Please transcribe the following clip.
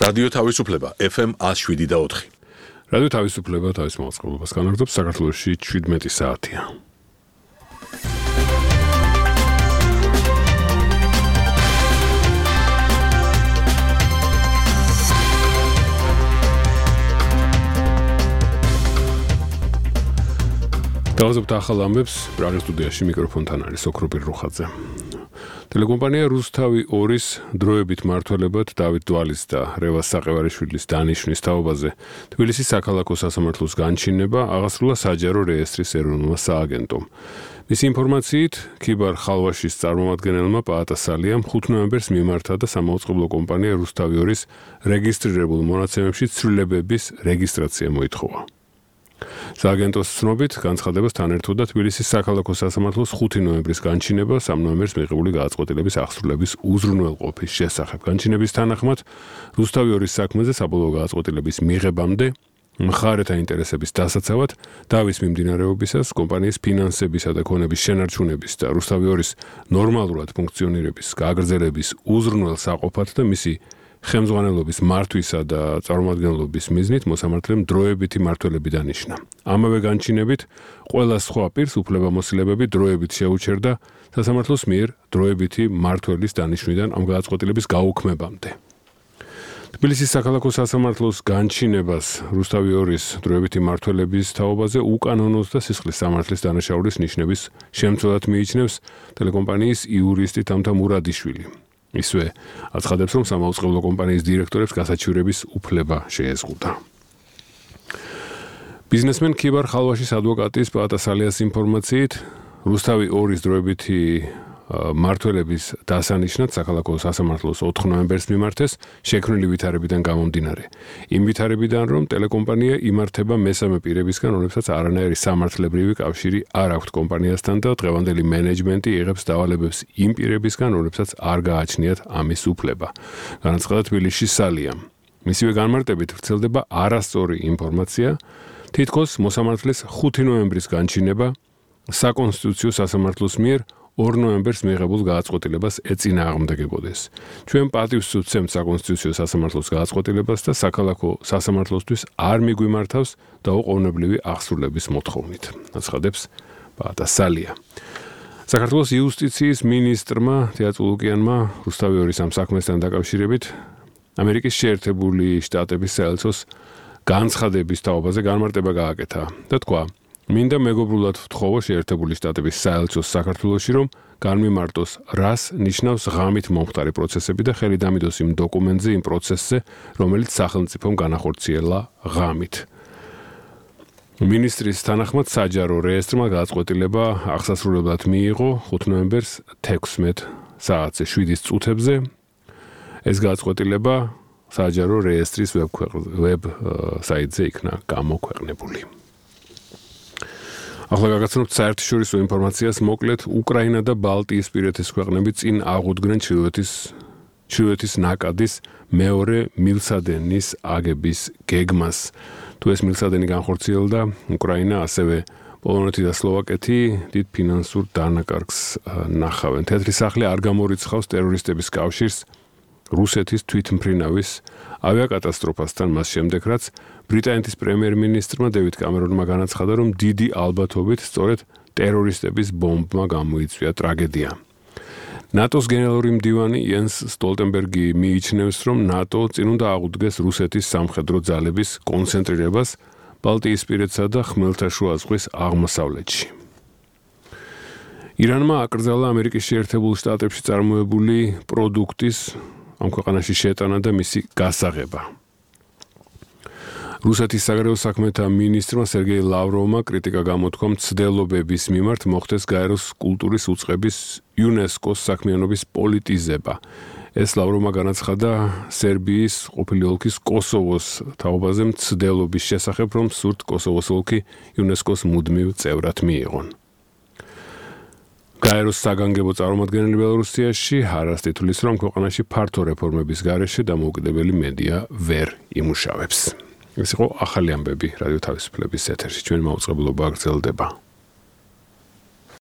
რადიო თავისუფლება FM 107.4. რადიო თავისუფლება თავის მოწყობილობას განაგრძობს საქართველოში 17 საათია. დავაზობთ ახალ ამბებს პრაღის სტუდიაში მიკროფონთან არის ოქროპირ რუხაძე. Telecompanija Rustavi 2-ის დროებით მმართველებად დავით დვალის და რევას საყევარიშვილის დანიშვნის თაობაზე თბილისის საქალაქო სასამართლოს განჩინება აღასრულა საჯარო რეესტრის ეროვნულმა სააგენტომ. Მისი ინფორმაციით, ქიბარ ხალვაშის წარმომადგენელმა პაატა სალიამ 5 ნოემბერს მიმართა და სამაუწყებლო კომპანია Rustavi 2-ის რეგისტრირებულ მონაცემებში ცვლილებების რეგისტრაცია მოითხოვა. სააგენტოს ცნობით განცხადებას თან ერთვოდა თბილისის საქალაქო სასამართლოს 5 ნოემბრის განჩინება 3 ნოემბერს მიღებული გადაწყვეტილების აღსრულების უზრუნველყოფის შესახებ. განჩინების თანახმად Rustavi 2-ის საქმეზე საბოლოო გადაწყვეტილების მიღებამდე მხარეთა ინტერესების დასაცავად დავის მიმდინარეობისას კომპანიის ფინანსებისა და ქონების შენარჩუნების და Rustavi 2-ის ნორმალურად ფუნქციონირების გაგრძელების უზრუნველსაყოფად და მისი ხელმძღვანელობის მართვისა და წარმომადგენლობის მიზნით მოსამართლემ დროებითი მმართველები დანიშნა. ამავე განჩინებით ყველა სხვა პირს უფლებამოსილებები დროებით შეუჩერდა სასამართლოს მიერ დროებითი მმართველის დანიშვნიდან ამ გადაწყვეტილების გაუქმებამდე. თბილისის საქალაქო სასამართლოს განჩინებას Rustavi 2-ის დროებითი მმართველების თაობაზე უკანონოს და სისხლის სამართლის დანაშაულის ნიშნების შემცველად მიიჩნევს ტელეკომპანიის იურისტი თამთა მურადიშვილი. ისვე აცხადებს, რომ სამაუწყებლო კომპანიის დირექტორებს გასაჩივრების უფლება შეეზღუდა. ბიზნესმენ ქიბარ ხალვაშის ადვოკატის პაატა სალიას ინფორმაციით, Rustavi 2-ის დროებითი მმართველების დასანიშნად საქალაქო სასამართლოს 4 ნოემბერს მიმართეს შექმნილი ვითარებიდან გამომდინარე. იმ ვითარებიდან, რომ ტელეკომპანია იმართება მესამე პირებისგან, რომლებსაც არანაირი სამართლებრივი კავშირი არ აქვთ კომპანიასთან და დღევანდელი მენეჯმენტი იღებს დავალებებს იმ პირებისგან, რომლებსაც არ გააჩნიათ ამის უფლება. განაცხადა თბილისში სალიამ. მისივე განმარტებით ვრცელდება არასწორი ინფორმაცია, თითქოს მოსამართლეს 5 ნოემბრის განჩინება საკონსტიტუციო სასამართლოს მიერ 2 ნოემბერს მიღებულ გადაწყვეტილებას ეწინააღმდეგებოდეს. ჩვენ პატივს ვცემთ საკონსტიტუციო სასამართლოს გადაწყვეტილებას და საქალაქო სასამართლოსთვის არ მიგვიმართავს დაუყოვნებლივი აღსრულების მოთხოვნით. აცხადებს პაატა სალია. საქართველოს იუსტიციის მინისტრმა თეატრულუკიანმა Rustavi 2-ის ამ საქმესთან დაკავშირებით ამერიკის შეერთებული შტატების საელჩოს განცხადების თაობაზე განმარტება გააკეთა და თქვა: მინდა მეგობრულად ვთხოვო შეერთებული შტატების საელჩოს საქართველოში, რომ განმიმარტოს, რას ნიშნავს ღამით მომხდარი პროცესები და ხელი დამიდოს იმ დოკუმენტზე, იმ პროცესზე, რომელიც სახელმწიფომ განახორციელა ღამით. მინისტრის თანახმად საჯარო რეესტრმა გადაწყვეტილება აღსასრულებლად მიიღო 5 ნოემბერს 16 საათზე 7 წუთებზე. ეს გადაწყვეტილება საჯარო რეესტრის ვებ საიტზე იქნა გამოქვეყნებული. ახლა გაგაცნობთ საერთაშორისო ინფორმაციას მოკლედ უკრაინა და ბალტიისპირეთის ქვეყნები წინ აღუდგნენ ჩრდილოეთის ნაკადის მეორე მილსადენის აგების გეგმას. თუ ეს მილსადენი განხორციელდა, უკრაინა ასევე პოლონეთი და სლოვაკეთი დიდ ფინანსურ დანაკარგს ნახავენ. თეთრი სახლი არ გამორიცხავს ტერორისტების კავშირს რუსეთის თვითმფრინავის ავიაკატასტროფასთან მას შემდეგ, რაც ბრიტანეთის პრემიერ-მინისტრმა დევიდ კამერონმა განაცხადა, რომ დიდი ალბათობით სწორედ ტერორისტების ბომბმა გამოიწვია ტრაგედია. ნატოს გენერალური მდივანი იენს სტოლტენბერგი მიიჩნევს, რომ ნატო წინ უნდა აღუდგეს რუსეთის სამხედრო ძალების კონცენტრირებას ბალტიისპირეთსა და ხმელთაშუა ზღვის აღმოსავლეთში. ირანმა აკრძალა ამერიკის შეერთებულ შტატებში წარმოებული პროდუქტის ამ ქვეყანაში შეტანა და მისი გასაღება. რუსეთის საგარეო საქმეთა მინისტრმა სერგეი ლავროვმა კრიტიკა გამოთქვა მცდელობების მიმართ მოხდეს გაეროს კულტურის უწყების იუნესკოს საქმიანობის პოლიტიზება. ეს ლავროვმა განაცხადა სერბიის ყოფილი ოლქის კოსოვოს თაობაზე მცდელობის შესახებ, რომ სურთ კოსოვოს ოლქი იუნესკოს მუდმივ წევრად მიიღონ. გაეროს საგანგებო წარმომადგენელი ბელორუსიაში ჰარას თითulis, რომ ქვეყანაში ფართო რეფორმების გარეშე დამოუკიდებელი მედია ვერ იმუშავებს. ეს იყო ახალი ამბები რადიო თავისუფლების ეთერში. ჩვენ მაუწყებლობა გრძელდება.